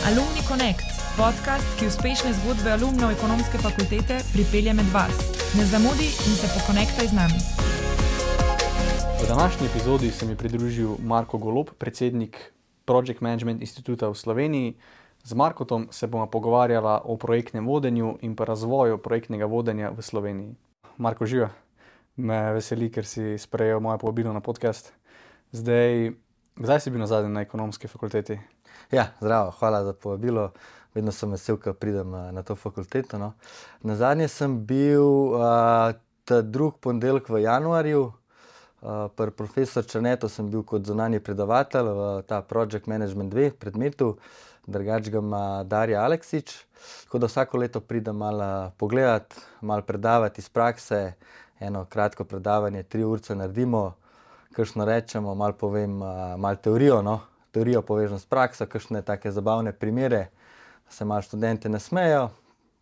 Alumni Connect, podcast, ki uspešne zgodbe alumnov ekonomske fakultete pripelje med vas. Ne zamudi in se pokonektaj z nami. V današnji epizodi se mi pridružil Marko Golob, predsednik Project Management Instituta v Sloveniji. Z Markotom se bomo pogovarjala o projektnem vodenju in pa razvoju projektnega vodenja v Sloveniji. Marko, živa, me veseli, ker si sprejel moje povabilo na podcast. Kdaj si bil nazadnje na ekonomski fakulteti? Ja, zdravo, hvala za povabilo. Vedno sem vesel, ko pridem na to fakulteto. No. Nazadnje sem bil ta drugi ponedeljek v januarju. Pri profesor Černetu sem bil kot zunanji predavatelj v ta Project Management 2 predmetu. Drugač ga ima Darja Aleksič. Tako da vsako leto pridem malo pogledati, malo predavati iz prakse. Eno kratko predavanje, 3 urce naredimo, kakšno rečemo, malo povem, malo teorijo, no. Teorijo povežem s prakso, kakšne take zabavne primere, da se malo študente nasmejo,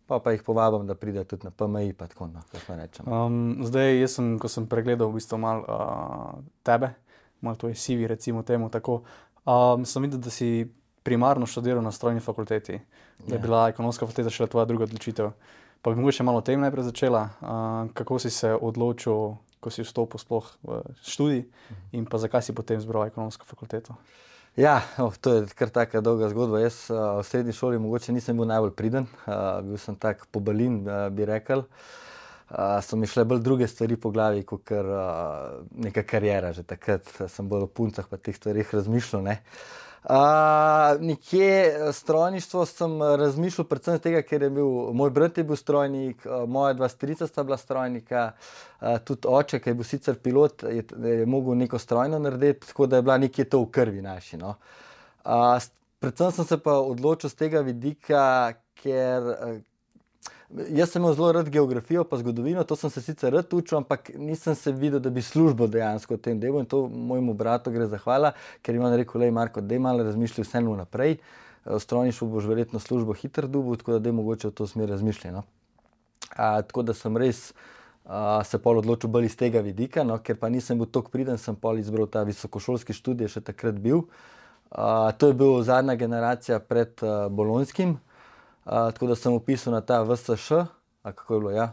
pa jih povabim, da pridejo tudi na PMI, pa tako, no, kakšno rečemo. Jaz sem, ko sem pregledal v bistvu malo tebe, malo tvoje CV, recimo temu tako, sem videl, da si primarno študiral na strojni fakulteti, da je bila ekonomska fakulteta šele tvoja druga odločitev. Pa bi mogoče malo o tem najprej začela, kako si se odločil, ko si vstopil sploh v študij in pa zakaj si potem izbral ekonomsko fakulteto? Ja, to je kar taka dolga zgodba. Jaz v srednji šoli mogoče nisem bil najbolj priden, bil sem tak pobalin, bi rekel. So mi šle bolj druge stvari po glavi, kot neka karijera. Že takrat sem bolj o puncah pa teh stvarih razmišljal, ne. Nekje strojništvo sem razmišljal predvsem tega, ker je bil, moj brat je bil strojnik, moja dva strica sta bila strojnika, tudi oče, ki je bil sicer pilot, je mogel neko strojno narediti, tako da je bila nekje to v krvi naši, no. Predvsem sem se pa odločil z tega vidika, ker jaz sem imel zelo rad geografijo pa zgodovino, to sem se sicer rad učil, ampak nisem se videl, da bi službo dejansko v tem delu in to mojemu bratu gre zahvala, ker mi je on rekel, lej Marko, daj malo razmišljaj vseeno naprej, v strojništvu boš verjetno službo hitro dobil, tako da daj mogoče v to smer razmišljaj, no. Tako da sem res se pol odločil bolj iz tega vidika, no, ker pa nisem bil toliko priden, sem pol izbral ta visokošolski študij, še takrat bil. To je bil zadnja generacija pred bolonjskim. Tako da sem vpisal na ta VSŠ, kako je bilo, ja.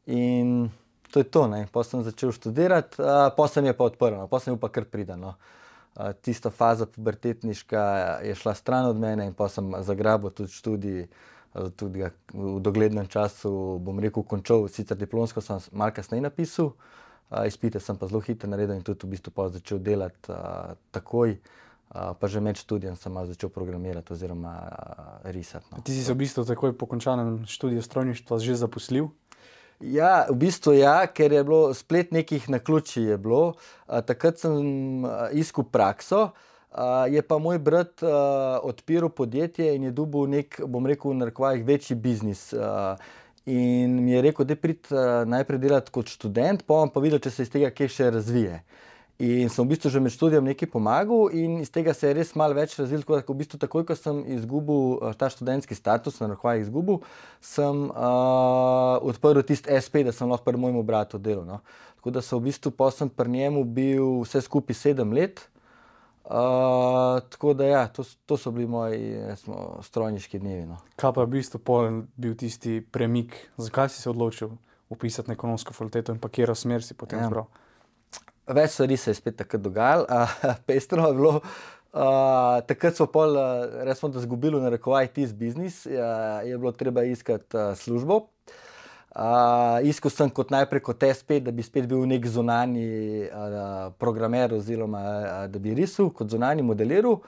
In to je to, ne. Potem sem začel študirati, potem se mi je pa odprlo, potem sem bil pa kar priden, no. Tista faza pubertetniška je šla stran od mene in potem sem zagrabil tudi študij, tudi ga v doglednem času, bom rekel, končal, sicer diplomsko sem malo kasneje napisal, izpite sem pa zelo hitro naredil in tudi v bistvu potem začel delati takoj. Pa že med študijem sem malo začel programirati oziroma risati, no. Ti si se v bistvu takoj po končanem študiju strojništva že zaposlil? Ja, v bistvu ja, ker je bilo splet nekih naključij je bilo. Takrat sem iskal prakso, je pa moj brat odpiral podjetje in je dobil nek, bom rekel v narekovajih, večji biznis. In mi je rekel, daj pridi najprej delati kot študent, pa bom pa videl, če se iz tega kaj še razvije. In sem v bistvu že med študijem nekaj pomagal in iz tega se je res malo več razvil, tako da v bistvu takoj, ko sem izgubil ta študentski status, na narekovajih izgubil, sem odprl tisti SP, da sem lahko pri mojemu bratu delal, no. Tako da sem v bistvu potem pri njemu bil vse skupaj 7 let. Tako da ja, to so bili moji strojniški dnevi, no. Kaj pa v bistvu pol bil tisti premik, zakaj si se odločil vpisati na ekonomsko fakulteto in pa katero smer si potem izbral? Več stvari se je spet takrat dogajalo, pestro je bilo. Takrat smo pol, recimo, da zgubili v narekovajih tisti biznis, je bilo treba iskati službo. Iskal sem najprej kot SP, da bi spet bil nek zunanji programer oziroma da bi risal kot zunanji modeliral,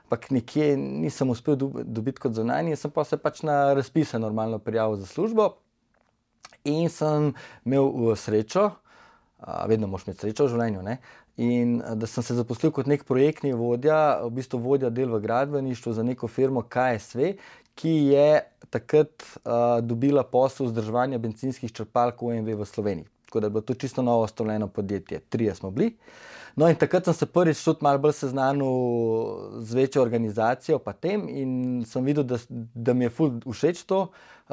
ampak nekje nisem uspel dobiti kot zunanji, sem pa se pač na razpise normalno prijavil za službo in sem imel srečo, vedno moraš imeti srečo v življenju, ne. In da sem se zaposlil kot nek projektni vodja, v bistvu vodja del v gradbeništvu za neko firmo KSV, ki je takrat dobila posel vzdrževanja bencinskih črpalk OMV v Sloveniji. Tako da je bilo to čisto novo ustanovljeno podjetje, 3 smo bili. No in takrat sem se prvič tudi malo bolj seznanil z večjo organizacijo pa tem in sem videl, da mi je ful všeč to,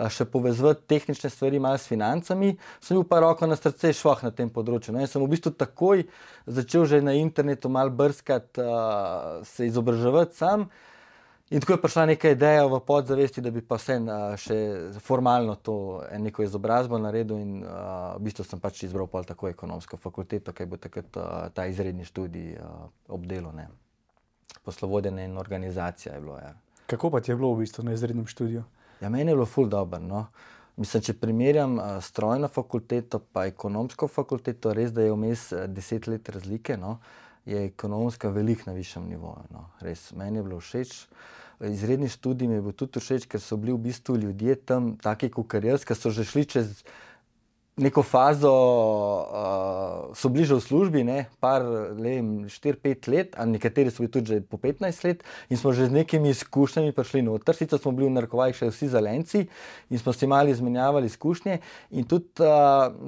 še povezovati tehnične stvari malo s financami. Sem bil pa roko na srce švoh na tem področju. No in sem v bistvu takoj začel že na internetu malo brskati, se izobraževati sam. In tako je prišla neka ideja v podzavesti, da bi pa vse še formalno to neko izobrazbo naredil in v bistvu sem pač izbral pol tako ekonomsko fakulteto, kaj bo takrat ta izredni študij obdelal, ne. Poslovodenje in organizacija je bilo, ja. Kako pa ti je bilo v bistvu na izrednem študiju? Ja, meni je bilo ful dobro, no. Mislim, če primerjam strojno fakulteto pa ekonomsko fakulteto, res, da je vmes 10 let razlike, no, je ekonomska veliko na višjem nivoju, no. Res, meni je bilo všeč. Izredni študij mi je bil tudi všeč, ker so bili v bistvu ljudje tam taki kakor jaz, ki so že šli čez neko fazo, so bili že v službi, ne, 4-5 let, a nekateri so bili tudi že po 15 let in smo že z nekimi izkušnjami prišli noter. Sicer smo bili v narekovajih še vsi zelenci in smo si malo izmenjavali izkušnje in tudi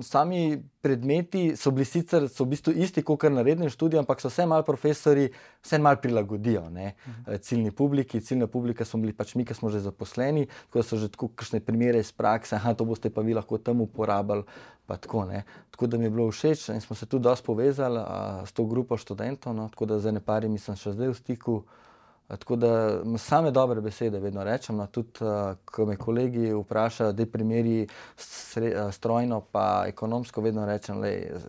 sami predmeti so bili sicer, so v bistvu isti kakor na rednem študiju, ampak so vse malo profesorji, vse malo prilagodijo, ne, ciljni publiki. Ciljna publika smo bili pač mi, ki smo že zaposleni, tako da so že tako kakšne primere iz prakse, to boste pa vi lahko tam uporabili, pa tako, ne. Tako da mi je bilo všeč in smo se tudi dosti povezali s to grupo študentov, no, tako da z parimi sem še zdaj v stiku. Tako da same dobre besede vedno rečem, no, tudi ko me kolegi vprašajo, daj primeri strojno pa ekonomsko, vedno rečem,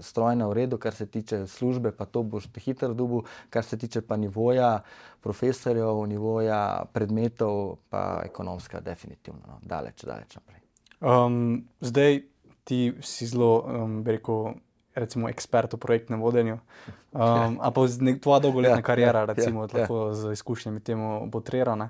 strojno v redu, kar se tiče službe, pa to boš te hitro dobil, kar se tiče pa nivoja profesorjev, nivoja predmetov, pa ekonomska definitivno, no, daleč naprej. Zdaj ti si zelo, bi rekel, recimo ekspert v projektnem vodenju, a pa tvoja dolgoletna karijera, recimo, lahko z izkušnjami temu botrira, ne.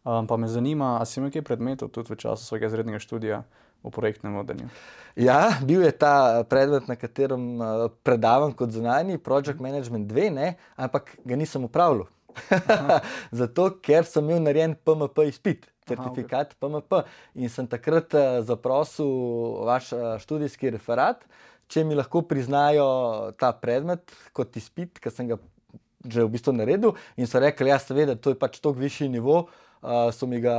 Pa me zanima, a si imel kaj predmetov tudi v času svojega izrednega študija v projektnem vodenju? Ja, bil je ta predmet, na katerem predavam kot zunanji, Project Management 2, ne, ampak ga nisem opravljal. Zato, ker sem imel narejen PMP izpit, certifikat PMP in sem takrat zaprosil vaš študijski referat, če mi lahko priznajo ta predmet kot izpit, ki sem ga že v bistvu naredil in so rekli, ja, seveda, to je pač toliko višji nivo, so mi ga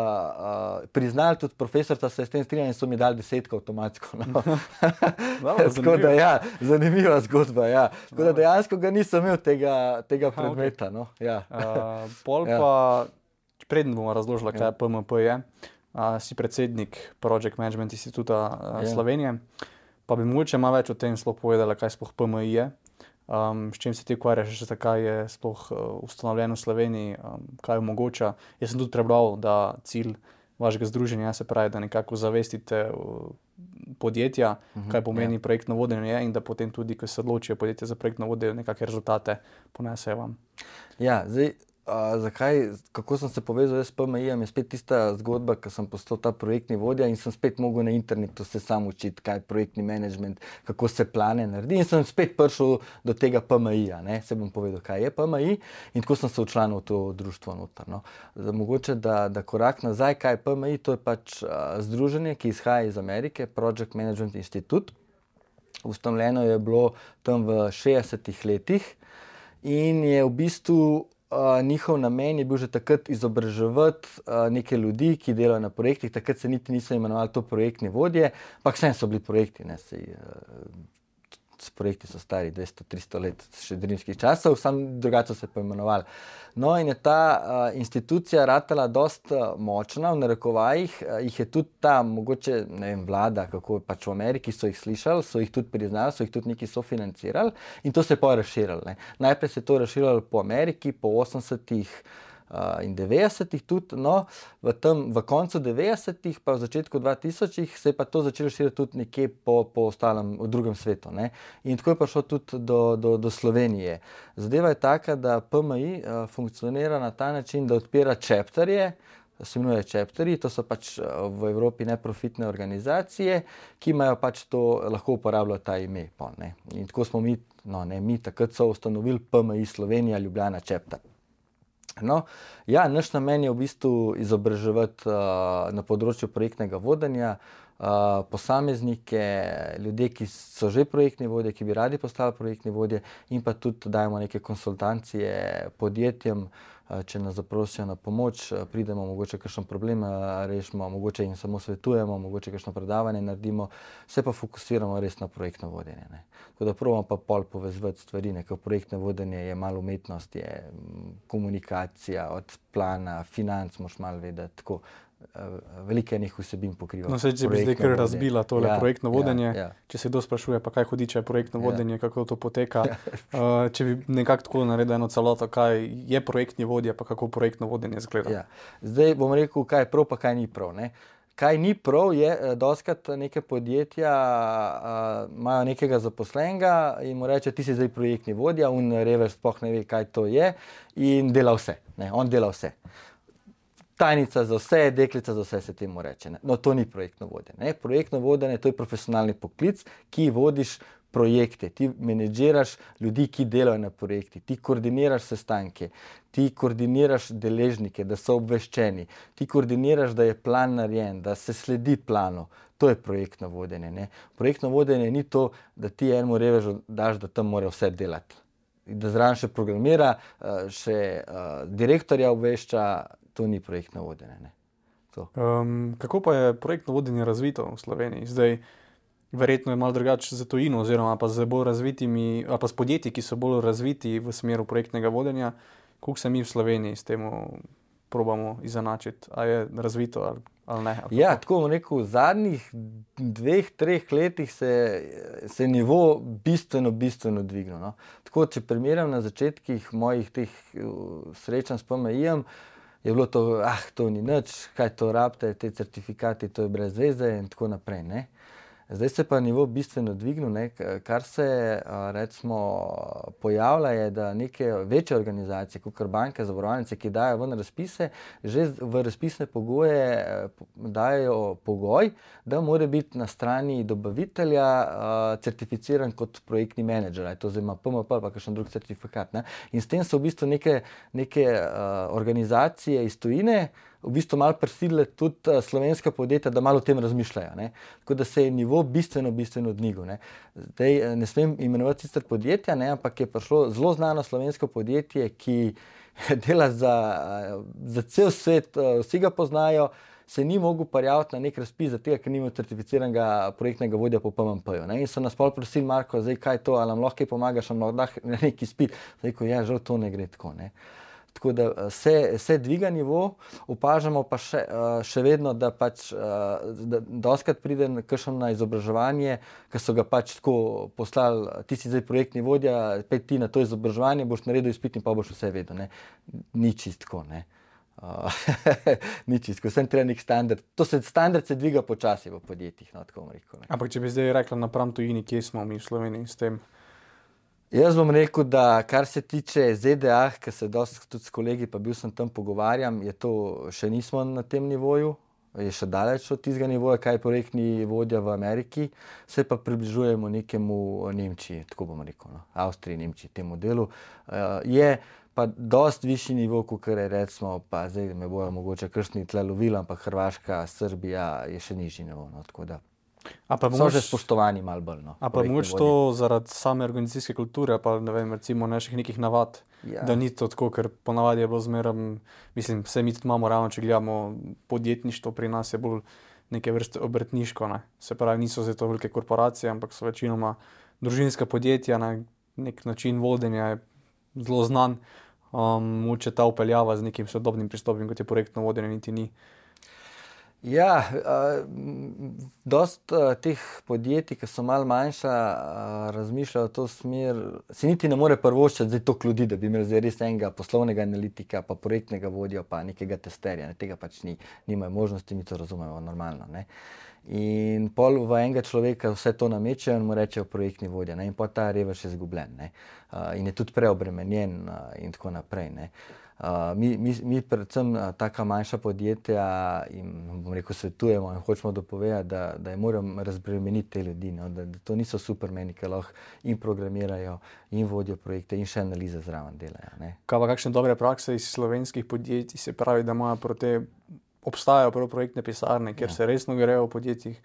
priznali, tudi profesorca se je s tem strinjal in so mi dali 10 avtomatsko. No. Tako da, ja, zanimiva zgodba, ja. Tako da dejansko ga nisem imel tega predmeta, no. Ja. Pol pa, preden bomo razložili, kaj PMP je, si predsednik Project Management Instituta Slovenije. Pa bi mogoče malo več o tem sploh povedala, kaj sploh PMI je, s čim se ti ukvarjaš, zakaj je sploh ustanovljen v Sloveniji, kaj omogoča. Jaz sem tudi prebral, da cilj vašega združenja se pravi, da nekako zavestite podjetja, kaj pomeni projektno vodenje in da potem tudi, ko se odločijo podjetja za projektno vodenje, nekakšne rezultate ponesejo vam. Ja, zdaj, kako sem se povezal s PMI-jem, je spet tista zgodba, ko sem postal ta projektni vodja in sem spet mogel na internetu se sam učiti, kaj je projektni management, kako se plane naredi in sem spet prišel do tega PMI-ja, ne, se bom povedal, kaj je PMI in tako sem se včlanil v to društvo noter, no. Mogoče, da korak nazaj, kaj je PMI, to je pač združenje, ki izhaja iz Amerike, Project Management Institute. Ustanovljeno je bilo tam v 60-ih letih in je v bistvu njihov namen je bil že takrat izobraževati neke ljudi, ki delajo na projektih. Takrat se niti niso imenovali to projektni vodje, ampak vsem so bili projekti, ne, projekti so stari 200-300 let, še rimskih časov, samo drugače so se poimenovali. No, in je ta institucija ratala dosta močna, v narekovajih, jih je tudi ta, mogoče, ne vem, vlada, kako pač v Ameriki so jih slišali, so jih tudi priznali, so jih tudi neki sofinancirali in to se je pa razširilo, ne. Najprej se je to razširilo po Ameriki, po 80-ih in 90-ih tudi, no, v koncu 90-ih pa v začetku 2000-ih se je pa to začelo širiti tudi nekje po ostalem, v drugem svetu, ne. In tako je prišlo tudi do Slovenije. Zadeva je taka, da PMI funkcionira na ta način, da odpira chapterje, se imenuje chapterji, to so pač v Evropi neprofitne organizacije, ki imajo pač to, lahko uporabljajo ta ime, ne. In tako smo mi, no, ne mi, takrat so ustanovili PMI Slovenija Ljubljana chapter. No, ja, naš namen je v bistvu izobraževati na področju projektnega vodenja posameznike, ljudje, ki so že projektni vodje, ki bi radi postali projektni vodje in pa tudi dajemo neke konsultacije podjetjem, če nas zaprosijo na pomoč, pridemo, mogoče kakšen problem rešimo, mogoče jim samo svetujemo, mogoče kakšno predavanje naredimo, se pa fokusiramo res na projektno vodenje. Ne. Tako da probamo pa pol povezovati stvari, ker projektno vodenje je malo umetnost, je komunikacija od plana, financ moš malo vedeti, tako veliko enih vsebin pokriva. No, če bi zdaj kar razbila tole projektno vodenje, ja. Če se kdo sprašuje, pa kaj hudiče je projektno vodenje, kako to poteka, če bi nekako tako naredil eno celoto, kaj je projektni vodja, pa kako projektno vodenje izgleda. Ja. Zdaj bom rekel, kaj je prav, pa kaj ni prav. Ne? Kaj ni prav, je, dostikrat neke podjetja imajo nekega zaposlenega in mu reče, ti si zdaj projektni vodja, on revež sploh ne ve, kaj to je in dela vse. Ne? On dela vse. Tajnica za vse, deklica za vse se temu reče. Ne? No, to ni projektno vodenje. Projektno vodenje, to je profesionalni poklic, ki vodiš projekte, ti menedžiraš ljudi, ki delajo na projekti, ti koordiniraš sestanke, ti koordiniraš deležnike, da so obveščeni, ti koordiniraš, da je plan narejen, da se sledi planu. To je projektno vodenje. Ne? Projektno vodenje ni to, da ti enemu revežu daš, da tam mora vse delati. Da zraven še programira, še direktorja obvešča, to ni projektno vodenje. Ne? Kako pa je projektno vodenje razvito v Sloveniji? Zdaj, verjetno je malo drugače za tujino, oziroma pa z bolj razvitimi, ali pa s podjetji, ki so bolj razviti v smeru projektnega vodenja, koliko se mi v Sloveniji s tem probamo izenačiti? A je razvito ali ne? Ja, tako bom rekel, v zadnjih 2-3 letih se nivo bistveno dvignil. No? Tako, če primerjam na začetkih mojih teh srečanj s PMI-jem, je bilo to, to ni nič, kaj to rabite, te certifikati, to je brez veze in tako naprej. Ne? Zdaj se pa nivo bistveno dvignil, ne? Kar se recimo pojavlja je, da neke večje organizacije, kot banke, zavarovalnice, ki dajo ven razpise, že v razpisne pogoje dajo pogoj, da mora biti na strani dobavitelja certificiran kot projektni menedžer, to zdaj ima PMP ali pa kakšen drug certifikat. Ne? In s tem so v bistvu neke organizacije iz tujine v bistvu malo prisilile tudi slovenska podjetja, da malo o tem razmišljajo. Ne? Tako da se je nivo bistveno dvignil. Ne? Zdaj ne smem imenovati sicer podjetja, ne? Ampak je prišlo zelo znano slovensko podjetje, ki dela za cel svet, vsi ga poznajo, se ni mogel prijaviti na nek razpis za tega, ker ni imel certificiranega projektnega vodja po PMP-ju. In so nas pol prosili, Marko, zdaj kaj to, ali nam lahko kaj pomagaš, ali nam lahko nek izpit. Zdaj, ja, žal to ne gre tako. Ne? Tako da se dviga nivo, opažamo pa še vedno, da pač dostikrat pride kakšen na izobraževanje, ker so ga pač tako poslali, ti si zdaj projektni vodja, pej ti na to izobraževanje, boš naredil izpit in pa boš vse vedel. Ne? Ni čistko, ne. Ni čistko, vsem treba nek standard. Standard se dviga počasi v podjetjih, no, tako bom rekel. Ne? Ampak če bi zdaj rekla napram tujini, kje smo mi v Sloveniji s tem? Jaz bom rekel, da kar se tiče ZDA, ker se dosti tudi s kolegi, pa bil sem tam pogovarjam, je to še nismo na tem nivoju, je še daleč od tistega nivoja, kaj je projektni vodja v Ameriki, se pa približujemo nekemu Nemčiji, tako bom rekel, no, Avstriji, Nemčiji, temu delu. Je pa dosti višji nivo, kot je recimo, pa zdaj me bojo mogoče kakšni tle lovili, ampak Hrvaška, Srbija je še nižji nivo, no, tako da. So že spoštovani malo bolj. No, a pa mogoče to zaradi same organizacijske kulture, pa ne vem, recimo naših nekih navad, da ni to tako, ker ponavadi je bilo zmeraj, mislim, vse mi tudi imamo ravno, če gledamo podjetništvo, pri nas je bolj neke vrste obrtniško, ne. Se pravi, niso zdaj to velike korporacije, ampak so večinoma družinska podjetja, na nek način vodenja je zelo znan, mogoče ta upeljava z nekim sodobnim pristopom, kot je projektno vodenje, niti ni. Ja, dosti teh podjetij, ki so malo manjša, razmišljajo v to smer, si niti ne more privoščiti zdaj toliko ljudi, da bi imeli zdaj res enega poslovnega analitika, pa projektnega vodja, pa nekega testerja, ne, tega pač nimajo možnosti, mi to razumemo normalno, ne. In pol v enega človeka vse to namečejo in mu rečejo projektni vodja, ne, in pol ta revež je izgubljen, ne, in je tudi preobremenjen in tako naprej, ne. Mi predvsem taka manjša podjetja in bom rekel svetujemo in hočemo dopovedati, da je moram razbremeniti te ljudi, no, da to niso supermeni, ki lahko in programirajo in vodijo projekte in še analize zraven delajo. Ne. Kaj pa kakšne dobre prakse iz slovenskih podjetij, se pravi, da imajo te obstajajo prav projektne pisarne, kjer se resno grejo v podjetjih,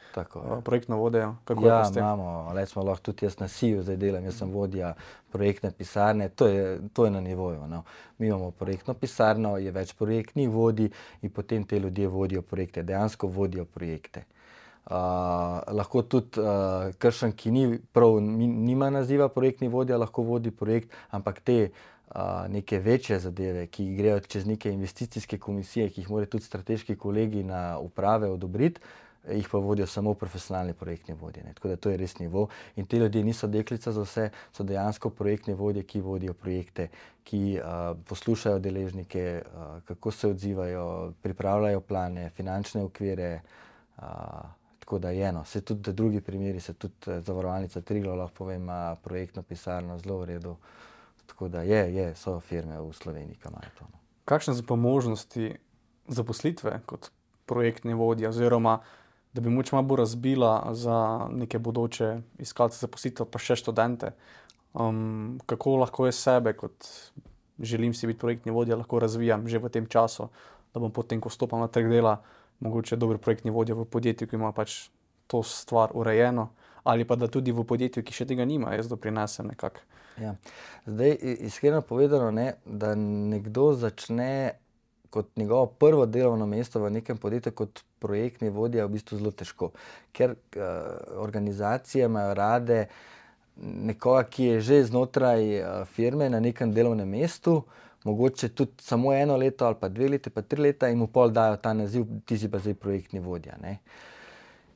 projektno vodijo? Ja, imamo, smo lahko tudi jaz na SIU zdaj delam, jaz sem vodja projektne pisarne, to je na nivoju. No. Mi imamo projektno pisarno, je več projektnih vodij in potem te ljudje vodijo projekte, dejansko vodijo projekte. Lahko tudi kakšen, ki nima naziva projektni vodja, lahko vodi projekt, ampak te neke večje zadeve, ki grejo čez neke investicijske komisije, ki jih morajo tudi strateški kolegi na uprave odobriti, jih pa vodijo samo profesionalni projektni vodje. Tako da to je res nivo. In ti ljudje niso deklica za vse, so dejansko projektni vodje, ki vodijo projekte, ki poslušajo deležnike, kako se odzivajo, pripravljajo plane, finančne okvire. Tako da je eno. Se tudi drugi primeri, se tudi zavarovalnica Triglav, lahko povem, ima projektno pisarno zelo v redu. Tako da so firme v Sloveniji, ki imajo to. Kakšne so pa možnosti zaposlitve kot projektni vodja, oziroma da bi moč malo bolj razbila za neke bodoče iskalce zaposlitev, pa še študente? Kako lahko jaz sebe, kot želim si biti projektni vodja, lahko razvijam že v tem času, da bom potem, ko stopam na trg dela, mogoče dober projektni vodja v podjetju, ki ima pač to stvar urejeno, ali pa da tudi v podjetju, ki še tega nima, jaz doprinesem nekako. Ja. Zdaj, iskreno povedano, da nekdo začne kot njegovo prvo delovno mesto v nekem podjetju kot projektni vodja, v bistvu zelo težko. Ker organizacije imajo rade nekoga, ki je že znotraj firme na nekem delovnem mestu, mogoče tudi samo 1 leto ali pa 2 leta, pa 3 leta in mu pol dajo ta naziv, ti si pa zdaj projektni vodja. Ne?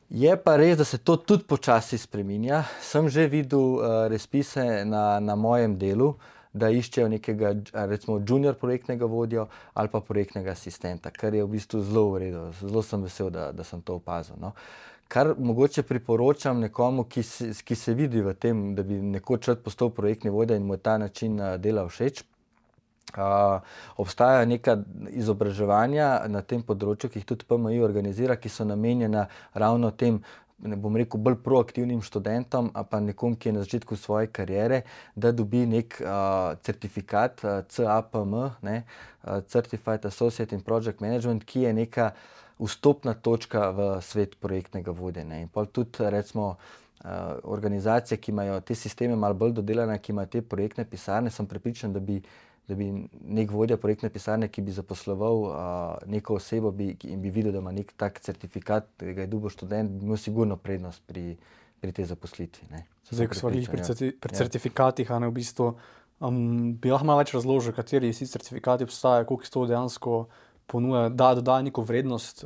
Je pa res, da se to tudi počasi spreminja. Sem že videl razpise na mojem delu, da iščejo nekega, recimo, junior projektnega vodjo ali pa projektnega asistenta, kar je v bistvu zelo v redu. Zelo sem vesel, da sem to opazil. No. Kar mogoče priporočam nekomu, ki se vidi v tem, da bi nekoč rad postal projektni vodja in mu je ta način dela všeč. Obstajajo neka izobraževanja na tem področju, ki jih tudi PMI organizira, ki so namenjena ravno tem, ne bom rekel, bolj proaktivnim študentom, a pa nekom, ki je na začetku svoje kariere, da dobi nek certifikat CAPM, Certified Associate in Project Management, ki je neka vstopna točka v svet projektnega vodenja. In pol tudi, recimo, organizacije, ki imajo te sisteme malo bolj dodelane, ki imajo te projektne pisarne, sem prepričan, da bi nek vodja projektne pisarne, ki bi zaposloval neko osebo in bi videl, da ima nek tak certifikat, da ga je dobil študent, bi imel sigurno prednost pri tej zaposlitvi. Zdaj, ko smo pri certifikatih, v bistvu, bi lahko malo več razložil, kateri vsi certifikati obstajajo, koliko to dejansko ponuja, da dodaja neko vrednost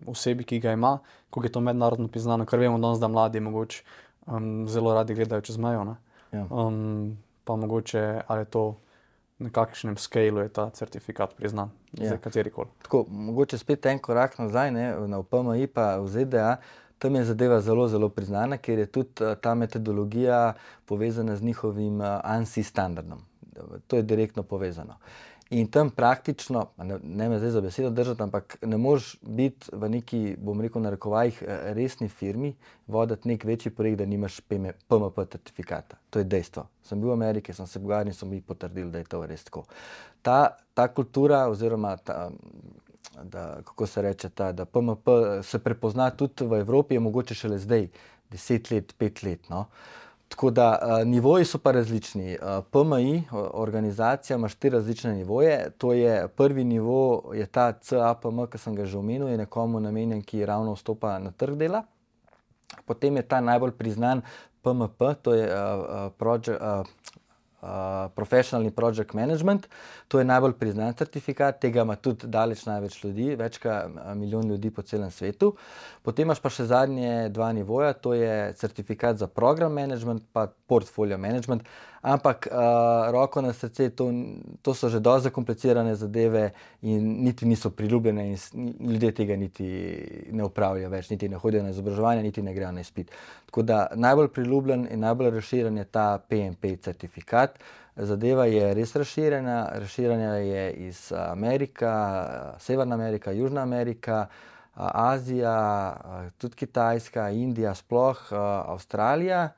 osebi, ki ga ima, koliko je to mednarodno priznano, ker vemo danes, da mladi mogoče zelo radi gledajo čez mejo. Pa mogoče, ali je to na kakšnem skalu je ta certifikat priznan, katerikoli. Tako, mogoče spet en korak nazaj, na PMI pa v ZDA, tam je zadeva zelo, zelo priznana, ker je tudi ta metodologija povezana z njihovim ANSI standardom. To je direktno povezano. In tam praktično, ne me zdaj za besedo držati, ampak ne moreš biti v neki, bom rekel, narekovajih resni firmi, voditi nek večji projekt, da nimaš PMP certifikata. To je dejstvo. Sem bil v Ameriki, sem se pogovarjal in so mi potrdili, da je to res tako. Ta kultura oziroma kako se reče, da PMP se prepozna tudi v Evropi, je mogoče šele zdaj, 10 let, 5 let, no. Tako da nivoji so pa različni. PMI, organizacija, ima 4 različne nivoje. To je prvi nivo, je ta CAPM, ki sem ga že omenil, je nekomu namenjen, ki ravno vstopa na trg dela. Potem je ta najbolj priznan PMP, to je Professional Project Management. To je najbolj priznan certifikat, tega ima tudi daleč največ ljudi, več kot 1 milijon ljudi po celem svetu. Potem imaš pa še zadnje 2 nivoja, to je certifikat za program management pa portfolio management, ampak roko na srce, to so že dosti zakomplicirane zadeve in niti niso priljubljene in ljudje tega niti ne upravljajo več, niti ne hodijo na izobraževanje, niti ne grejo na izpit. Tako da najbolj priljubljen in najbolj razširjen je ta PMP certifikat. Zadeva je res razširjena je iz Amerika, Severna Amerika, Južna Amerika, Azija, tudi Kitajska, Indija, sploh Avstralija.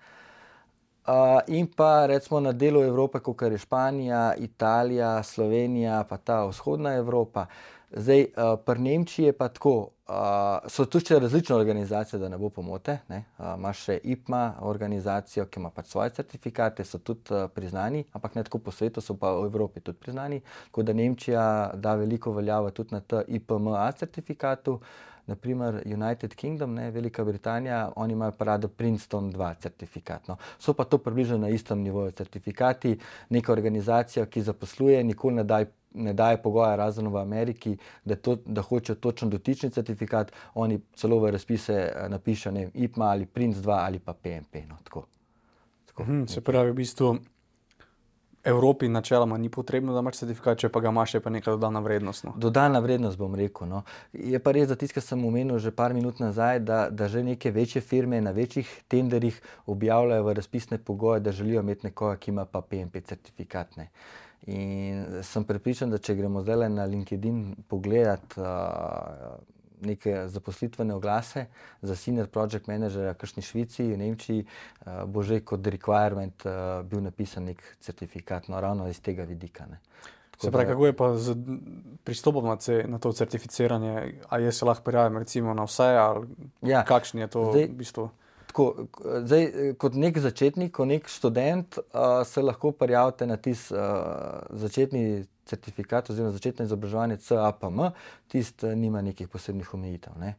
In pa recimo na delu Evrope, kot je Španija, Italija, Slovenija, pa ta vzhodna Evropa. Zdaj, pri Nemčiji je pa tako, so tu še različne organizacije, da ne bo pomote, ne. Imaš še IPMA organizacijo, ki ima pač svoje certifikate, so tudi priznani, ampak ne tako po svetu, so pa v Evropi tudi priznani, tako da Nemčija da veliko veljavo tudi na ta IPMA certifikatu. Naprimer United Kingdom, ne, Velika Britanija, oni imajo pa rado Princeton 2 certifikat. No. So pa to približno na istem nivoju certifikati. Neka organizacija, ki zaposluje, nikoli ne daje pogoja, razen v Ameriki, da hočejo točno dotični certifikat, oni celo v razpise napišejo, ne vem, IPMA ali Prince 2 ali pa PMP. No, tako. Se pravi, v bistvu Evropi načeloma ni potrebno, da imaš certifikat, če pa ga imaš, je pa neka dodana vrednost. No. Dodana vrednost, bom rekel. No. Je pa res, da tisto, kar sem omenil že par minut nazaj, da že neke večje firme na večjih tenderjih objavljajo v razpisne pogoje, da želijo imeti nekoga, ki ima pa PMP certifikat. Ne. In sem prepričan, da če gremo zdaj na LinkedIn pogledati neke zaposlitvene oglase za senior project managerja v kakšni Švici, v Nemčiji, bo že kot requirement bil napisan nek certifikat, no ravno iz tega vidika. Ne. Se pravi, kako je pa z pristopom na to certificiranje? A je se lahko prijavim recimo na vse, ali kakšen je to zdaj, v bistvu? Tako, zdaj, kot nek začetnik, kot nek študent se lahko prijavite na tisti začetni certifikat oziroma začetno izobraževanje CAPM, tisti nima nekih posebnih omejitev. Ne.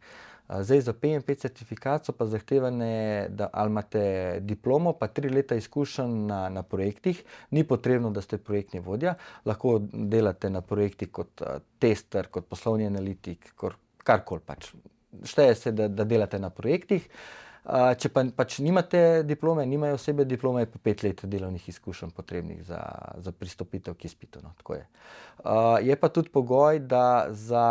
Zdaj za PMP certifikat so pa zahtevane, da ali imate diplomo pa 3 leta izkušenj na projektih, ni potrebno, da ste projektni vodja, lahko delate na projektih kot tester, kot poslovni analitik, karkoli pač. Šteje se, da delate na projektih. Če pa pač nimate diplome, nimajo osebe diplome, je pa 5 let delovnih izkušenj potrebnih za pristopitev k izpitu. No, tako je. Je pa tudi pogoj, da za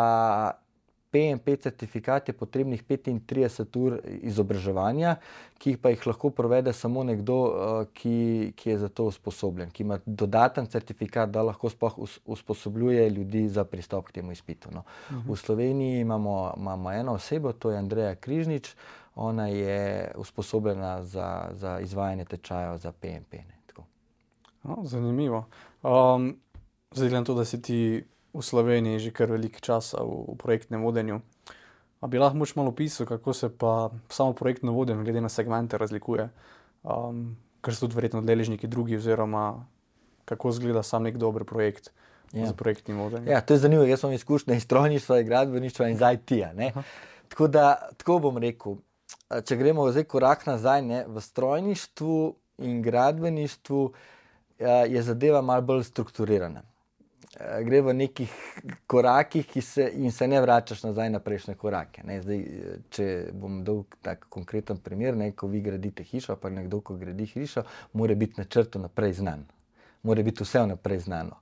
PMP certifikat je potrebnih 35 ur izobraževanja, ki pa jih lahko provede samo nekdo, ki je za to usposobljen, ki ima dodaten certifikat, da lahko sploh usposobljuje ljudi za pristop k temu izpitu. No. V Sloveniji imamo eno osebo, to je Andreja Križnič, ona je usposobljena za izvajanje tečajev za PMP. Ne, tako. Zanimivo. Zdaj gledam to, da si ti v Sloveniji že kar veliko časa v projektnem vodenju. A bi lahko malo opisal, kako se pa samo projektno vodenje glede na segmente razlikuje? Ker so tudi verjetno deležniki drugi, oziroma kako izgleda sam nek dober projekt z projektnim vodenjem? Ja, to je zanimivo. Jaz imam izkušnje iz strojništva, iz gradbeništva in iz IT-ja. Tako bom rekel. Če gremo zdaj korak nazaj, ne, v strojništvu in gradbeništvu je zadeva malo bolj strukturirana. Gre v nekih korakih in se ne vračaš nazaj na prejšnje korake. Ne. Zdaj, če bom dal tak konkreten primer, ne, ko vi gradite hišo, pa nekdo, ko gradi hišo, mora biti načrt vnaprej znan. Mora biti vse vnaprej znano.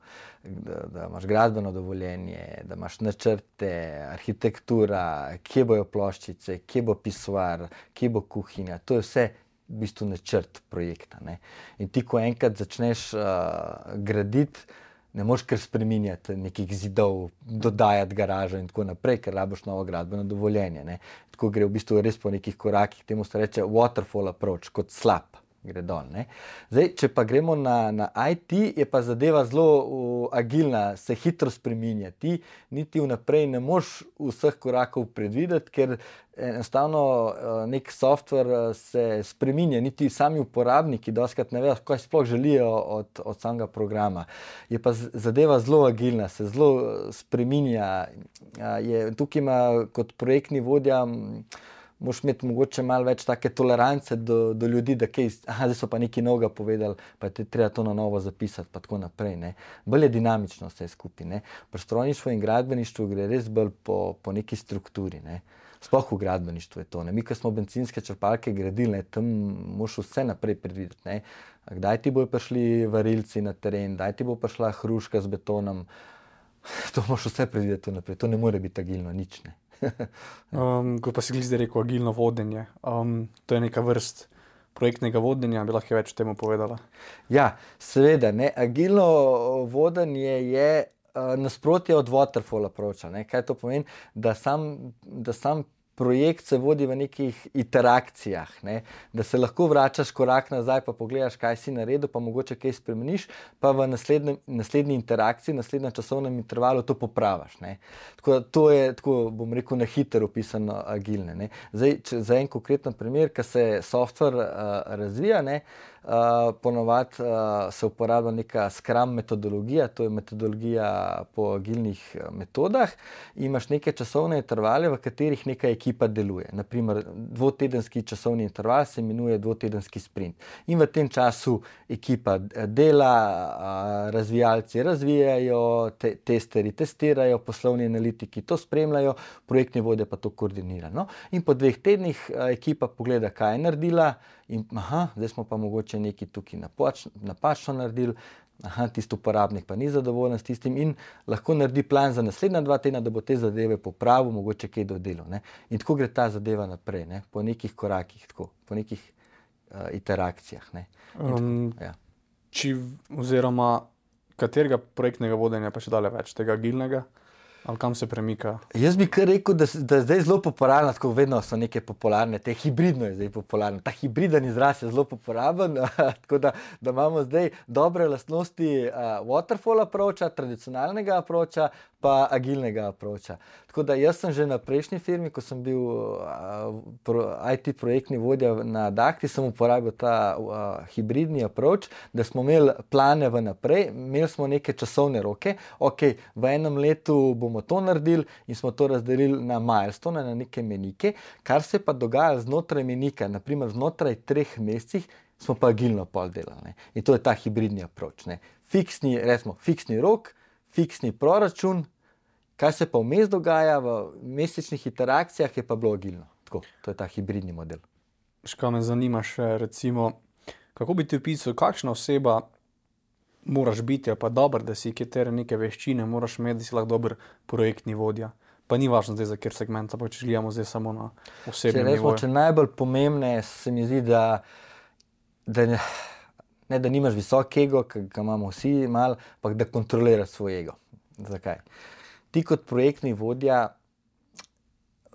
Da imaš gradbeno dovoljenje, da imaš načrte, arhitektura, kje bojo ploščice, kje bo pisoar, kje bo kuhinja. To je vse v bistvu načrt projekta. Ne. In ti, ko enkrat začneš graditi, ne moreš kar spreminjati nekih zidov, dodajati garažo in tako naprej, ker rabiš novo gradbeno dovoljenje. Ne. Tako gre v bistvu res po nekih korakih, temu se reče waterfall approach, kot slap. Gre dol, ne. Zdaj, če pa gremo na IT, je pa zadeva zelo agilna, se hitro spreminja. Ti niti vnaprej ne moreš vseh korakov predvideti, ker enostavno nek software se spreminja, niti sami uporabniki dostikrat ne vejo, kaj sploh želijo od samega programa. Je pa zadeva zelo agilna, se zelo spreminja. Tukaj ima kot projektni vodja moraš imeti mogoče malo več take tolerance do ljudi, da zdaj so pa nekaj novega povedali, pa je treba to na novo zapisati, pa tako naprej. Ne. Bolj je dinamično vse skupaj. Ne. Pri strojništvu in gradbeništvu gre res bolj po neki strukturi. Ne. Sploh v gradbeništvu je to. Ne. Mi, ko smo bencinske črpalke gradili, ne, tam moraš vse naprej predvideti. Ne. Kdaj ti bojo prišli varilci na teren, kdaj ti bo prišla hruška z betonom, to moraš vse predvideti naprej. To ne more biti agilno, nič ne. Ko pa si zdaj rekel agilno vodenje, to je neka vrst projektnega vodenja, bi lahko več o tem povedala? Ja, seveda, ne. Agilno vodenje je nasprotje od waterfall approacha. Ne. Kaj to pomeni? Da sam projekt se vodi v nekih interakcijah, ne? Da se lahko vračaš korak nazaj, pa pogledaš, kaj si naredil, pa mogoče kaj spremeniš, pa v naslednji interakciji, naslednjem časovnem intervalu to popraviš. Tako to je, tako bom rekel, na hitro opisano agilne. Ne? Zdaj, za en konkreten primer, ko se software razvija, ne? Ponovadi se uporablja neka Scrum metodologija, to je metodologija po agilnih metodah. Imaš neke časovne intervale, v katerih neka ekipa deluje. Naprimer, dvotedenski časovni interval se imenuje dvotedenski sprint. In v tem času ekipa dela, razvijalci razvijajo, testerji testirajo, poslovni analitiki to spremljajo, projektni vodja pa to koordinira. No? In po 2 tednih ekipa pogleda, kaj je naredila, in zdaj smo pa mogoče nekaj tukaj napačno naredili, tisti uporabnik pa ni zadovoljen s tistim in lahko naredi plan za naslednja 2 tedna, da bo te zadeve popravil, mogoče kaj dodelal. Ne? In tako gre ta zadeva naprej, ne? Po nekih korakih, tako, po nekih interakcijah. Ne? Oziroma, katerega projektnega vodenja pa še dalje več, tega agilnega? Ali kam se premika? Jaz bi kar rekel, da je zdaj zelo popularno, tako vedno so neke popularne, te hibridno je zdaj popularno. Ta hibriden izraz je zelo populaben, tako da imamo zdaj dobre lastnosti waterfall approacha, tradicionalnega approacha, pa agilnega approacha. Tako da jaz sem že na prejšnji firmi, ko sem bil IT projektni vodja na Dahti, sem uporabil ta hibridni approach, da smo imeli plane vnaprej, imeli smo neke časovne roke, v enem letu bomo to naredili in smo to razdelili na milestone, na neke menike, kar se pa dogaja znotraj menika, naprimer znotraj 3 mesecih, smo pa agilno pol delali. Ne? In to je ta hibridni approach. Ne? Fiksni rok, fiksni proračun, kaj se pa vmes dogaja v mesečnih interakcijah, je pa bilo agilno. Tako, to je ta hibridni model. Škaj me zanima še, recimo, kako bi ti opisal, kakšna oseba moraš biti, pa dobro, da si katere neke veščine, moraš imeti, da si lahko dober projektni vodja. Pa ni važno zdaj za kjer segment, pa če gledamo zdaj samo na osebnem nivoju. Če najbolj pomembne se mi zdi, da nimaš visok ego, ki ga imamo vsi malo, pa da kontroliraš svoj ego. Zakaj? Ti kot projektni vodja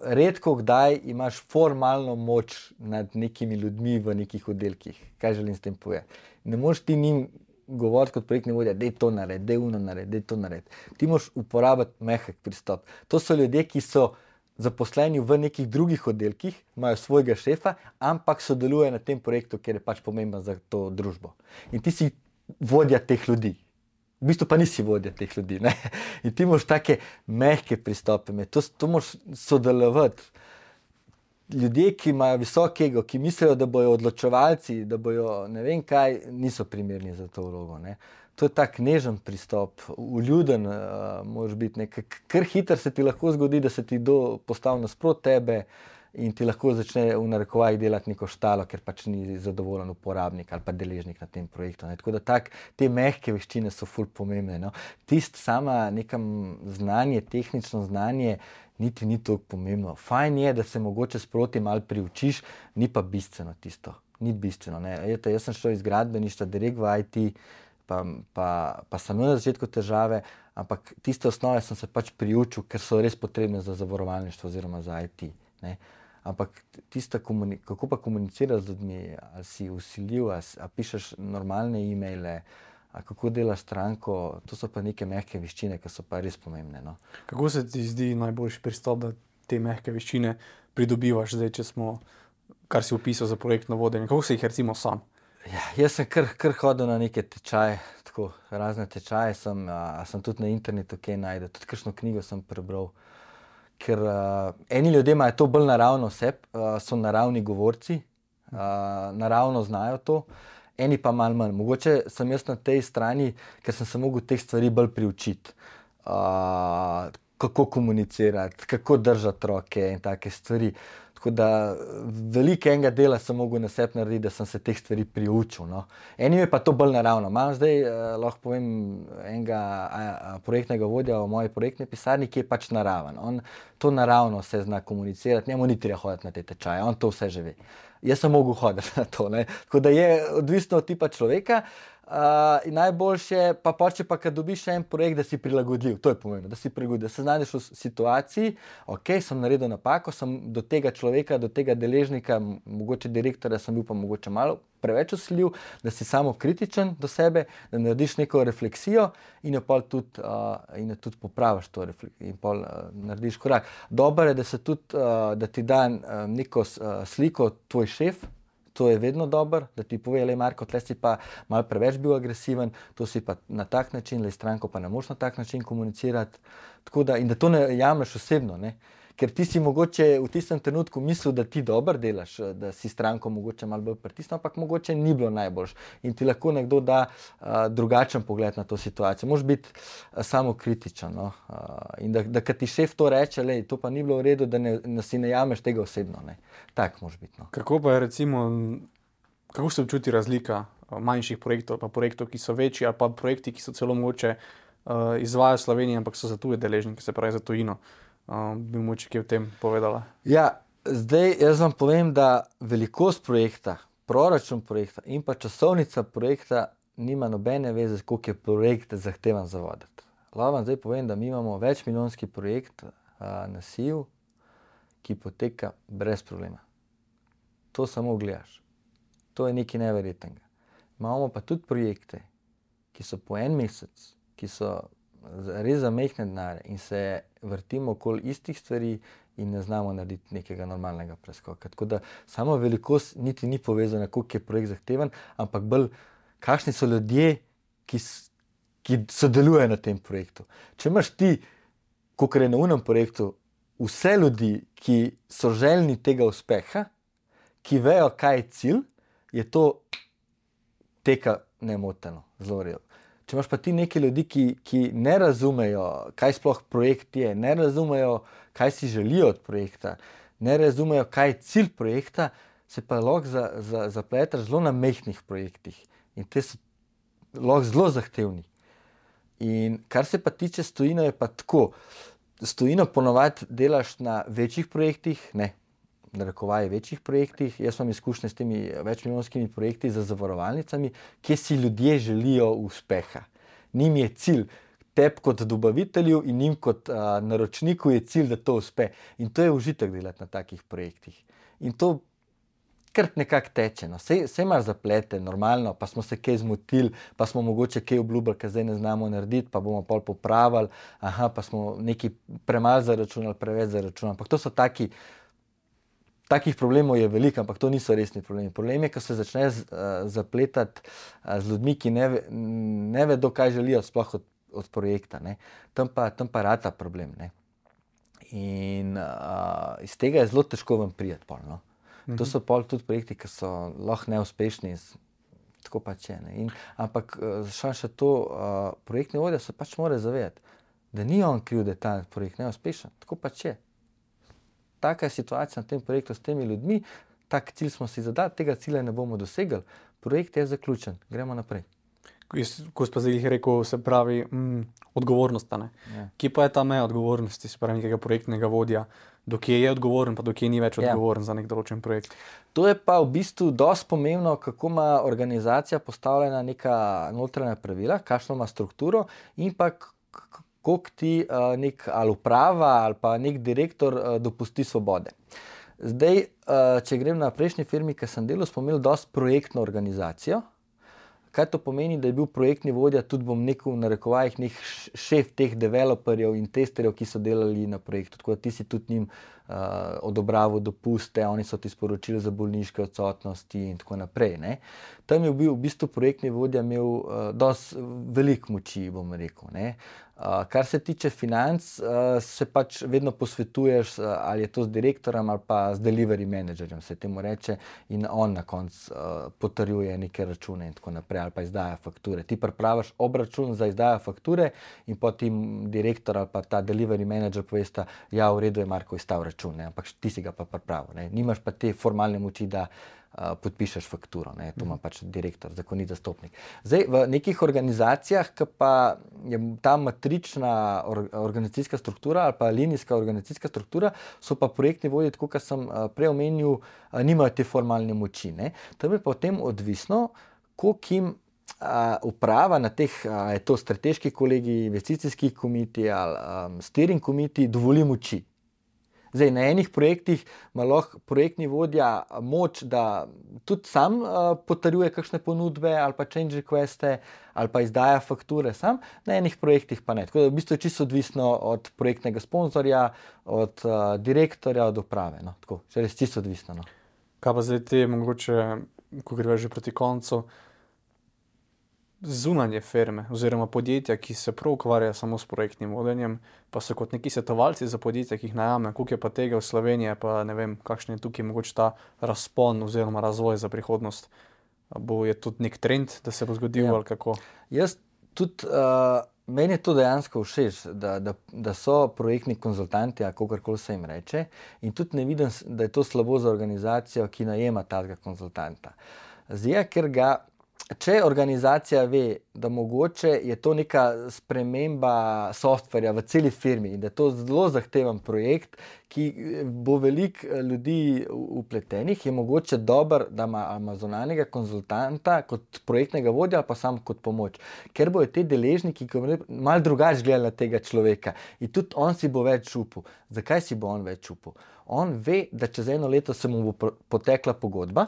redko kdaj imaš formalno moč nad nekimi ljudmi v nekih oddelkih. Kaj želim s tem povedati? Ne moreš ti njim govoriti kot projektni vodja, daj to naredi, daj uno naredi, daj to naredi. Ti moraš uporabiti mehek pristop. To so ljudje, ki so zaposleni v nekih drugih oddelkih, imajo svojega šefa, ampak sodelujejo na tem projektu, ker je pač pomemben za to družbo. In ti si vodja teh ljudi. V bistvu pa nisi vodja teh ljudi. Ne? In ti moraš take mehke pristope imeti. To moraš sodelovati. Ljudje, ki imajo visok ego, ki mislijo, da bojo odločevalci, da bojo ne vem kaj, niso primerni za to vlogo. Ne? To je tak nežen pristop, vljuden moraš biti. Kar hitro se ti lahko zgodi, da se ti postavi nasprot tebe in ti lahko začne v narekovajih delati neko štalo, ker pač ni zadovoljen uporabnik ali pa deležnik na tem projektu. Ne? Tako da te mehke veščine so ful pomembne. No? Tisto sama nekam znanje, tehnično znanje, niti ni toliko pomembno. Fajn je, da se mogoče sproti malo priučiš, ni pa bistveno tisto. Ni bistveno. Ne? Jaz sem šel iz gradbeništva direkt v IT, pa sem imel na začetku težave, ampak tiste osnove sem se pač priučil, ker so res potrebne za zavarovalništvo oziroma za IT. Ne? Ampak kako pa komuniciraš z ljudmi, ali si vsiljiv, ali pišeš normalne e-maile, kako delaš stranko, to so pa neke mehke veščine, ki so pa res pomembne. No? Kako se ti zdi najboljši pristop, da te mehke veščine pridobivaš zdaj, če smo, kar si opisal za projektno vodenje? Kako se jih recimo sam? Ja, jaz sem kar hodil na neke tečaje, tako razne tečaje sem tudi na internetu kaj najdel, tudi kakšno knjigo sem prebral. Ker eni ljudje imajo to bolj naravno so naravni govorci, naravno znajo to, eni pa malo manj. Mogoče sem jaz na tej strani, ker sem se mogel teh stvari bolj priučiti. Kako komunicirati, kako držati roke in take stvari. Tako da veliko enega dela sem mogel na sebi narediti, da sem se teh stvari priučil. No. Enim je pa to bolj naravno. Imam zdaj, lahko povem, enega projektnega vodja v moji projektni pisarni, ki je pač naraven. On to naravno se zna komunicirati, njemu ni treba hoditi na te tečaje, on to vse že ve. Jaz sem mogel hoditi na to. Ne. Tako da je odvisno od tipa človeka. In najboljše, kad dobiš še en projekt, da si prilagodljiv, to je pomembno, da si prilagodljiv, da se znajdeš v situaciji, ok, sem naredil napako, sem do tega človeka, do tega deležnika, mogoče direktorja sem bil pa mogoče malo preveč vsiljiv, da si samo kritičen do sebe, da narediš neko refleksijo in jo pol tudi popraviš to refleksijo in pol narediš korak. Dobro je, da se tudi, da ti da neko sliko tvoj šef. To je vedno dobro, da ti pove, lej Marko, tle si pa malo preveč bil agresiven, to si pa na tak način, lej stranko pa ne moš na tak način komunicirati. Tako da, in da to ne jameš osebno, ne? Ker ti si mogoče v tistem trenutku mislil, da ti dobro delaš, da si stranko mogoče malo bolj pritisnil, ampak mogoče ni bilo najboljš. In ti lahko nekdo da drugačen pogled na to situacijo. Moraš biti samokritičen. No? In da kad ti šef to reče, lej, to pa ni bilo v redu, da si ne jameš tega osebno. Ne? Tak moraš biti. No? Kako pa je recimo, kako se občuti razlika manjših projektov, pa projektov, ki so večji, ali pa projekti, ki so celo mogoče izvajajo v Sloveniji, ampak so za tuje deležnike, se pravi za tujino. Bi mogoče kaj v tem povedala? Ja, zdaj jaz vam povem, da velikost projekta, proračun projekta in pa časovnica projekta nima nobene veze, koliko je projekt zahtevan za voditi. Lahko vam zdaj povem, da mi imamo večmilijonski projekt na SIJ-u, ki poteka brez problema. To samo gledaš. To je nekaj neverjetnega. Imamo pa tudi projekte, ki so po en mesec, ki so res za majhne denarje in se vrtimo okoli istih stvari in ne znamo narediti nekega normalnega preskoka. Tako da sama velikost niti ni povezana, koliko je projekt zahteven, ampak bolj, kakšni so ljudje, ki sodelujejo na tem projektu. Če imaš ti, kakor je na unem projektu, vse ljudi, ki so željni tega uspeha, ki vejo, kaj je cilj, je to teka nemoteno, zelo redno. Če imaš pa ti neki ljudi, ki ne razumejo, kaj sploh projekt je, ne razumejo, kaj si želijo od projekta, ne razumejo, kaj je cilj projekta, se pa lahko zapletaš zelo na majhnih projektih. In te so lahko zelo zahtevni. In kar se pa tiče s tujino, je pa tako. S tujino ponovadi delaš na večjih projektih, narekovaje večjih projektih. Jaz imam izkušnje s temi večmilijonskimi projekti za zavarovalnicami, kjer si ljudje želijo uspeha. Njim je cilj, tebi kot dobavitelju in njim kot naročniku je cilj, da to uspe. In to je užitek delati na takih projektih. In to kar nekako teče. No. Sej imaš zaplete, normalno, pa smo se kaj zmotili, pa smo mogoče kaj obljubili, kar zdaj ne znamo narediti, pa bomo pol popravili, pa smo nekaj premalo zaračunali, preveč zaračunali. Ampak to so takih problemov je veliko, ampak to niso resni problemi. Problem je, ko se začne zapletati z ljudmi, ki ne vedo, kaj želijo sploh od projekta. Ne. Tam pa rata problem. Ne. In iz tega je zelo težko vam prijeti pol. No. To so pol tudi projekti, ki so lahko neuspešni, tako pač je. Ne. Ampak še to, projektni vodja se pač mora zavedati, da ni on kriv, da je ta projekt neuspešen. Tako pač je. Taka je situacija na tem projektu s temi ljudmi, tak cilj smo si zadali, tega cilja ne bomo dosegli, projekt je zaključen, gremo naprej. Ko si pa zdaj rekel, se pravi odgovornost. Ja. Kje pa je ta meja odgovornosti, se pravi nekega projektnega vodja, do kje je odgovoren, pa do kje ni več odgovoren za nek določen projekt? To je pa v bistvu dosti pomembno, kako ima organizacija postavljena neka notranja pravila, kakšno ima strukturo in pa koliko ti nek ali uprava ali pa nek direktor dopusti svobode. Zdaj, če grem na prejšnji firmi, ki sem delal, smo imeli dosti projektno organizacijo. Kaj to pomeni, da je bil projektni vodja, tudi bom v narekovajih, nek šef teh developerjev in testerjev, ki so delali na projektu. Tako da ti si tudi njim odobraval dopuste, oni so ti sporočili za bolniške odsotnosti in tako naprej. Ne. Tam je bil v bistvu projektni vodja imel dosti veliko moči, bom rekel. Ne. Kar se tiče financ, se pač vedno posvetuješ, ali je to z direktorjem ali pa z delivery managerjem, se temu reče, in on na koncu potrjuje neke račune in tako naprej, ali pa izdaja fakture. Ti pripraviš obračun za izdajo fakture in potem direktor ali pa ta delivery manager povesta, ja, v redu je Marko izstav račun, ne, ampak ti si ga pa pripravil. Ne. Nimaš pa te formalne moči, da podpišeš fakturo. Ne. To ima pač direktor, zakonit zastopnik. Zdaj, v nekih organizacijah, ki pa je ta matrična organizacijska struktura ali pa linijska organizacijska struktura, so pa projektni vodji, tako kot sem prej omenil, nimajo te formalne moči. Ne. Tam je potem odvisno, koliko jim uprava na teh, je to strateški kolegi, investicijski komitij ali steering komitij, dovoli moči. Zdaj, na enih projektih ima lahko projektni vodja moč, da tudi sam potrjuje kakšne ponudbe ali pa change requeste ali pa izdaja fakture sam, na enih projektih pa ne. Tako da v bistvu je čisto odvisno od projektnega sponzorja, od direktorja, od uprave. No. Tako, je res čisto odvisno. No. Kaj pa zdaj te, mogoče, ko greva že proti koncu, zunanje firme oziroma podjetja, ki se prav ukvarjajo samo s projektnim vodenjem, pa so kot neki svetovalci za podjetja, ki jih najame, koliko je pa tega v Sloveniji, pa ne vem, kakšen je tukaj mogoče ta razpon oziroma razvoj za prihodnost. Je tudi nek trend, da se bo zgodil ali kako? Jaz tudi, meni je to dejansko všeč, da so projektni konzultanti, a kakorkoli se jim reče, in tudi ne vidim, da je to slabo za organizacijo, ki najema takega konzultanta. Zdaj, ker če organizacija ve, da mogoče je to neka sprememba softverja v celi firmi in da je to zelo zahteven projekt, ki bo veliko ljudi vpletenih, je mogoče dobro, da ima zunanjega konzultanta kot projektnega vodja ali pa sam kot pomoč. Ker bojo te deležniki malo drugače gledali na tega človeka in tudi on si bo več upal. Zakaj si bo on več upal? On ve, da čez 1 leto se mu bo potekla pogodba.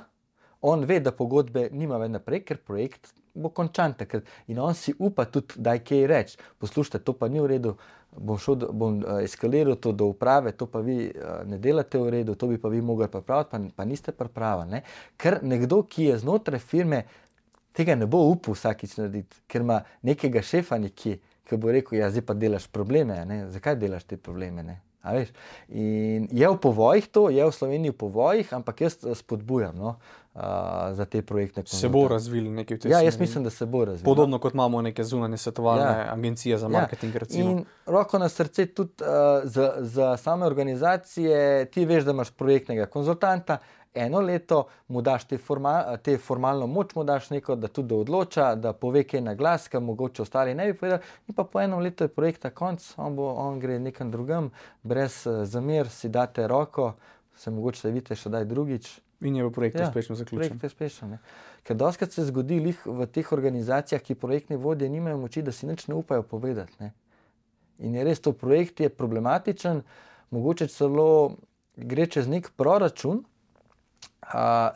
On ve, da pogodbe nima več naprej, ker projekt bo končan takrat. In on si upa tudi, da je kaj reči. Poslušajte, to pa ni v redu, bom eskaliral to do uprave, to pa vi ne delate v redu, to bi pa vi mogli pripraviti, pa niste pripravili. Ker nekdo, ki je znotraj firme, tega ne bo upal vsakič narediti, ker ima nekega šefa nekje, ki bo rekel, ja, zdaj pa delaš probleme, ne? Zakaj delaš te probleme, ne? A veš? In je v povojih to, je v Sloveniji v povojih, ampak jaz spodbujam, no, za te projektne konzultante. Se bo razvili nekaj v tej smeri? Ja, jaz mislim, da se bo razvili. Podobno kot imamo neke zunanje svetovalne agencije za marketing, recimo. In roko na srce tudi za same organizacije, ti veš, da imaš projektnega konzultanta, 1 leto mu daš te formalno moč, mu daš neko, da tudi odloča, da pove kaj na glas, kar mogoče ostali ne bi povedali, in pa po 1 letu je projekta konc, on gre nekam drugam, brez zamer, si date roko, se mogoče se vidite še daj drugič. In je v projektu uspešno zaključen. Projekt je uspešen, ne. Ker dostikrat se zgodi v teh organizacijah, ki projektne vodje nimajo moči, da si nič ne upajo povedati. Ne. In je res to projekt je problematičen, mogoče celo gre čez nek proračun,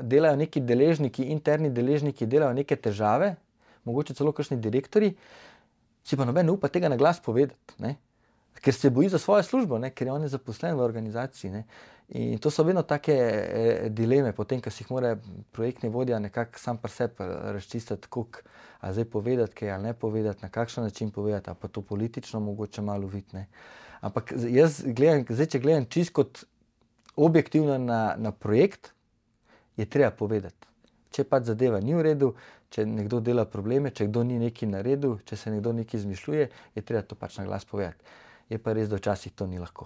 delajo neki deležniki, interni deležniki delajo neke težave, mogoče celo kakšni direktori, si pa noben ne upa tega na glas povedati, ne? Ker se boji za svojo službo, ne? Ker je on zaposlen v organizaciji. Ne? In to so vedno take dileme, potem, ko si jih mora projektni vodja nekako sam pri sebi razčistiti, koliko, a zdaj povedati kaj ali ne povedati, na kakšen način povedati, a pa to politično mogoče malo videti. Ne? Ampak jaz gledam, zdaj, če gledam čisto kot objektivno na projekt, je treba povedati. Če pač zadeva ni v redu, če nekdo dela probleme, če kdo ni nekaj naredil, če se nekdo nekaj izmišljuje, je treba to pač na glas povedati. Je pa res, da včasih to ni lahko.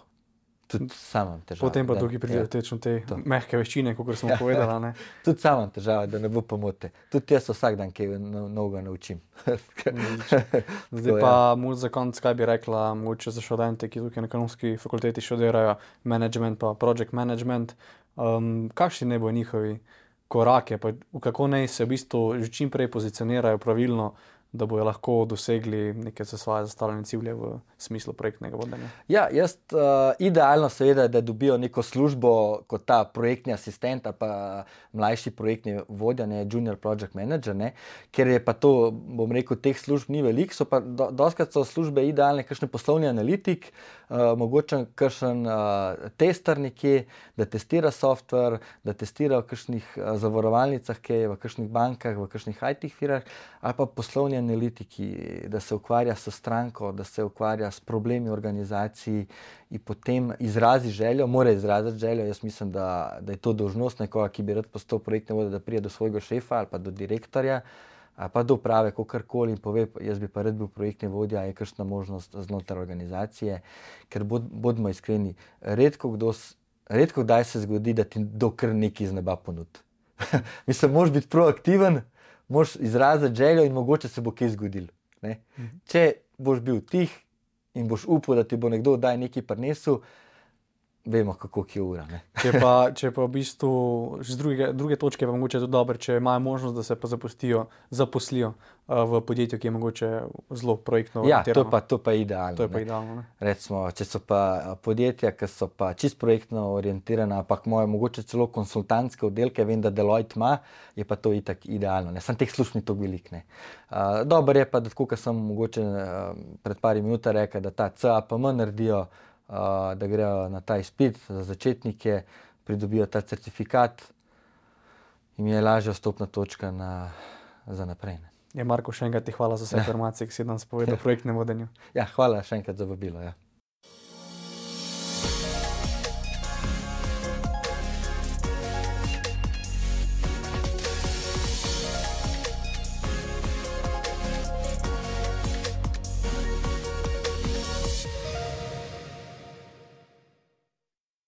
Tudi sam imam težave. Potem pa tukaj pridejo te mehke veščine, kot smo povedali. Ne? Tudi sam imam težave, da ne bo pomote. Tudi jaz vsak dan kaj novega naučim. Zdaj pa za konec, kaj bi rekla mogoče za študente, ki tukaj na Ekonomski fakulteti študirajo management pa project management. Kakšni ne bo njihovi korake, pa v kako naj se v bistvu že čim prej pozicionirajo pravilno, da bojo lahko dosegli neke za svoje zastavljene cilje v smislu projektnega vodenja? Ja, jaz idealno seveda, da dobijo neko službo kot ta projektni asistent ali pa mlajši projektni vodja, ne, junior project manager, ne, ker je pa to, bom rekel, teh služb ni veliko, so pa dostikrat so službe idealne, kakšen poslovni analitik, mogoče kakšen tester nekje, da testira software, da testira v kakšnih zavarovalnicah, kaj v kakšnih bankah, v kakšnih IT firmah, ali pa poslovni analitiki, da se ukvarja s stranko, da se ukvarja s problemi organizaciji in potem izrazi željo, mora izraziti željo. Jaz mislim, da je to dolžnost nekoga, ki bi rad postal projektni vodja, da pride do svojega šefa ali pa do direktorja ali pa do uprave, kakorkoli in pove, jaz bi pa rad bil projektni vodja, je kakšna možnost znotraj organizacije, ker bodimo iskreni, redko kdaj se zgodi, da ti dokar nekaj iz neba ponudi. Mislim, moraš biti proaktiven, moraš izraziti željo in mogoče se bo kaj zgodilo. Ne? Če boš bil tih in boš upal, da ti bo nekdo daj nekaj prinesel, vemo, kako je ura. Ne? Če pa v bistvu z druge točke, pa mogoče tudi dobro, če imajo možnost, da se pa zaposlijo v podjetju, ki je mogoče zelo projektno orientirano. Ja, to pa je idealno. To je pa idealno, ne? Recimo, če so pa podjetja, ki so pa čisto projektno orientirana, ampak mogoče celo konsultantske oddelke, vem, da Deloitte ima, je pa to itak idealno. Ne? Sam teh služb ni toliko veliko. Dobro je pa, da tako, kot sem mogoče pred par minuta rekel, da ta CAPM naredijo, da grejo na ta izpit za začetnike, pridobijo ta certifikat in je lažja vstopna točka za naprej. Ne? Marko, še enkrat ti hvala za vse informacije, ki si danes povedal o projektnem vodenju. Ja, hvala še enkrat za vabilo. Ja.